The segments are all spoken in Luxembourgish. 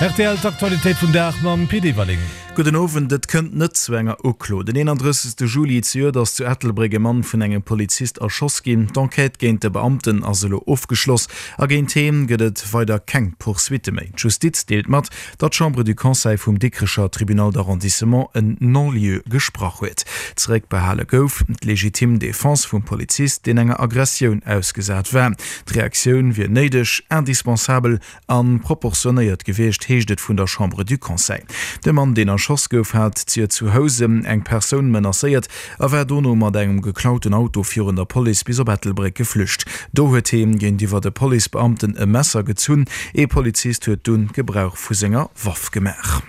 Rtl, D'Aktualitéit vum Dag mam Pit Everling. Gudden Owend. Et kënnt net zu enger Uklo. Den 31. Juli zejoert ass zu Ettelbréck e Mann vun engem Polizist erschoss ginn. D'Enquête géint de Beamten ass elo ofgeschloss a géint hee gëtt et weider keng Poursuitte méi. D'Justiz deelt mat, datt d'Chambre du Conseil vum Dikrecher Tribunal d'arrondissement en Non-lieu gesprach huet. Zeréckbehale gouf d'legitim Defense vum Polizist, deen enger Aggressioun ausgesat war. D'Reaktioun wier néideg, indispensabel a proportionéiert gewiescht, heescht et vun der Chambre du Conseil. De Mann, deen erschoss gouf, hat d'Sier zu Housen eng Persoun menacéiert a war dono mat engem geklauten Auto virun der Police bis op Ettelbréck geflücht. Do huet hie géintiwwer de Policebeamten e Messer gezunn. Ee Polizist huet dunn Gebrauch vu senger Waff gemaach.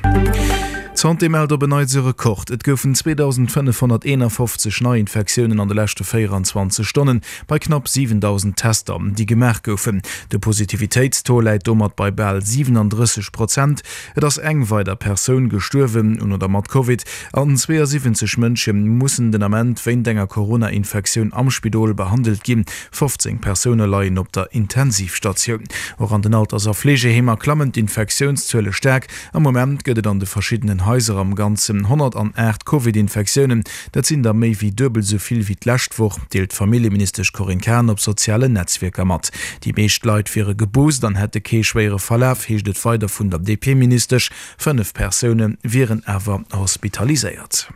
D'Santé mellt op en Neits e Rekord, Et goufen 2.551 Neiinfektiounen an de leschte 24 Stonnen, bei knapp 7.000 Tester, déi gemaach goufen. De Positivitéitstaux läit domat bei bal 37 Prozent. Et ass eng weider Persoun gestuerwen un oder mat Covid an 72 Mënsche mussen den Ament wéint enger Corona-Infektioun am Spidol behandelt ginn. 15 Persoune leien op der Intensivstatioun. Och an den Alters a Fleegeheemer klammen d'Infektiounszuele staark. Am Moment gëtt et an de verschiddenen Haiser am Ganzen 108 Covid-Infektiounen. Dat sinn der méi wéi duebel esou vill wéi d'lescht Woch, deelt d'Familljeministesch Corinne Cahen op sozialen Netzwierker mat. Déi meescht Leit wiere geboost an hätte kee schwéiere Verlaf, heescht et weider vun der DP-Ministesch. 5 Persoune wieren awer hospitaliséiert.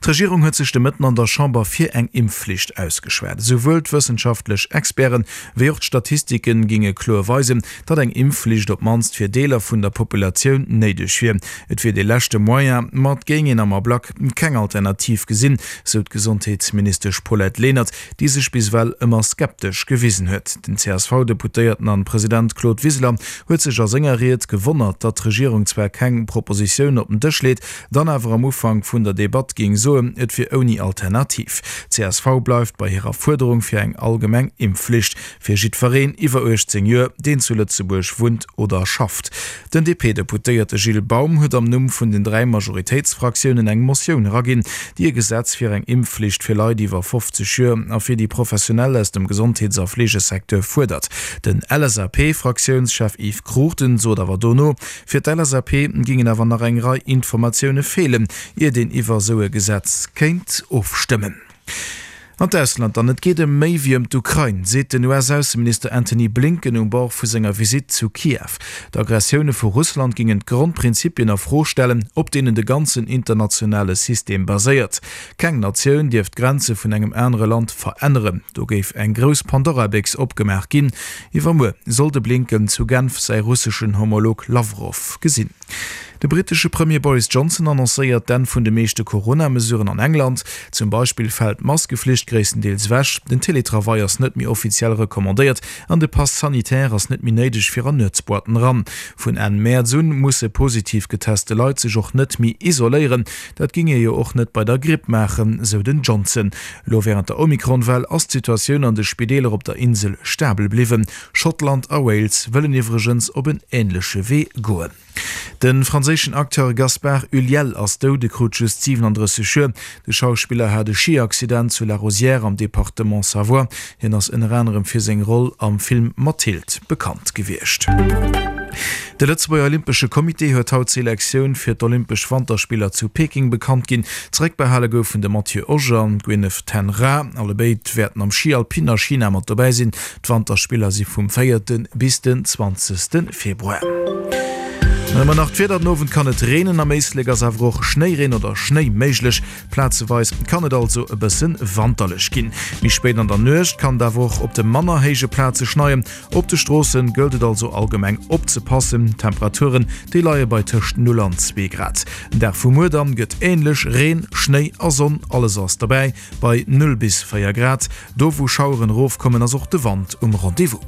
D'Regierung huet sech de Mëtten an der Chamber fir eng Impfflicht ausgeschwat. Esouwuel d'wëssenschaftlech Experten, wéi och d'Statistike ginge kloer weisen, datt eng Impfflicht op d'mannst fir Deeler vun der Populatioun néideg wier. Et wier dee leschte Moyen, ma et géing een am Ablack keng Alternativ gesinn, sou d'Gesondheetsministesch Paulette Lenert, déi sech bis ewell ëmmer skeptesch gewisen huet. Den CSV-Deputéierten an President Claude Wiseler huet sech a senger Ried gewonnert, datt d'Regierung zwar keng Propositioun op den Dësch leet, dann awer am Ufank vun der Debatt géing soen, et wier ouni Alternativ. Csv bleift bei hirer Fuerderung fir eng allgemeng Impfflicht fir jiddwereen iwwer 18 Joer, deen zu Lëtzebuerg wunnt oder schafft. Den DP-Deputéierte Gilles Baum huet am Numm vun den 3 Majoritéitsfraktiounen eng Motioun eraginn, déi e Gesetz fir eng Impfflicht fir Leit iwwer 50 Joer a fir déi Professionell aus dem Gesondheets a Fleegesecteur fuerdert. Den LSAP-Fraktiounschef Yves Cruchten sot awer dono, Fir d'LSAP gingen awer nach eng Rei Informatioune feelen, iert een iwwer esou e Gesetz kéint ofstëmmen. An d'Ausland dann, Et geet ëm méi wéi ëm d'Ukrain, seet den US-Ausseminister Antony Blinken um Bord vu senger Visitt zu Kiew. D'Aggressioune vu Russland gingen d'Grondprinzipien a Fro stellen, op deenen de ganzen internationale System baséiert. Keng Natioun dierf d'Grenze vun engem anere Land veränneren. Do géif eng grouss Pandora-Béchs opgemaach ginn. Iwwermuer soll de Blinken zu Genf säi russeschen Homolog Lawrow gesinn. De brittesche Premier Boris Johnson annoncéiert d'Enn vun de meeschte Corona-Mesuren an England. Zum Beispill fält d'Maskeflicht gréisstendeels ewech, den Teletravail ass net méi offiziell recommandéiert an de Pass sanitaire ass net méi néideg fir an Nuetsboîten eran. Vun Enn Mäerz un musse positiv geteste Leit sech och net méi isoléieren. Dat géing ee jo och net bei der Gripp maachen, sou den Johnson. Elo wärend der Omikron-Well ass d'Situatioun an de Spideeler op der Insel stabel bliwwen. Schottland a Wales wëllen iwwregens op en änleche Wee goen. De franséischen Acteur Gaspard Ulliel ass dout, e krut just 37 Joer. De Schauspiller hat e Schi-Accident zu La Rosière am Departement Savoie. Hien ass ënner anerem fir seng Roll am Film Mathilde bekannt gewiescht. De Lëtzebuerger Olympesche Comité huet haut d'Selektioun fir d'Olympesch Wanterspiller zu Peking bekannt ginn. Zeréckbehale goufen de Mathieu Oger an d'Gwyneth Ten Raa. Allebéid wäerten am Schi Alpin a China mat dobäi sinn. D'Wanterspiller si vum véierte bis den zwanzegste Februar. Dann hu mer nach d'Wieder, Den Owend kann et reenen, am Éislek ass awer och Schnéireen oder Schnéi méiglech. Plazeweis kann et also e bësse wanterlech ginn. Méi spéit an der Nuecht kann et awer och op de manner héije Plaze schneien. Op de Stroosse gëllt et also allgemeng opzepassen. D'Temperaturen, déi leie bei tëscht 0 an 2 Grad. Den Dag vu muer dann gëtt änlech, Reen, Schnéi a Sonn, alles ass derbäi bei 0 bis 4 Grad. Do wou Schaueren erofkommen, ass och de Wand um Rendez-vous.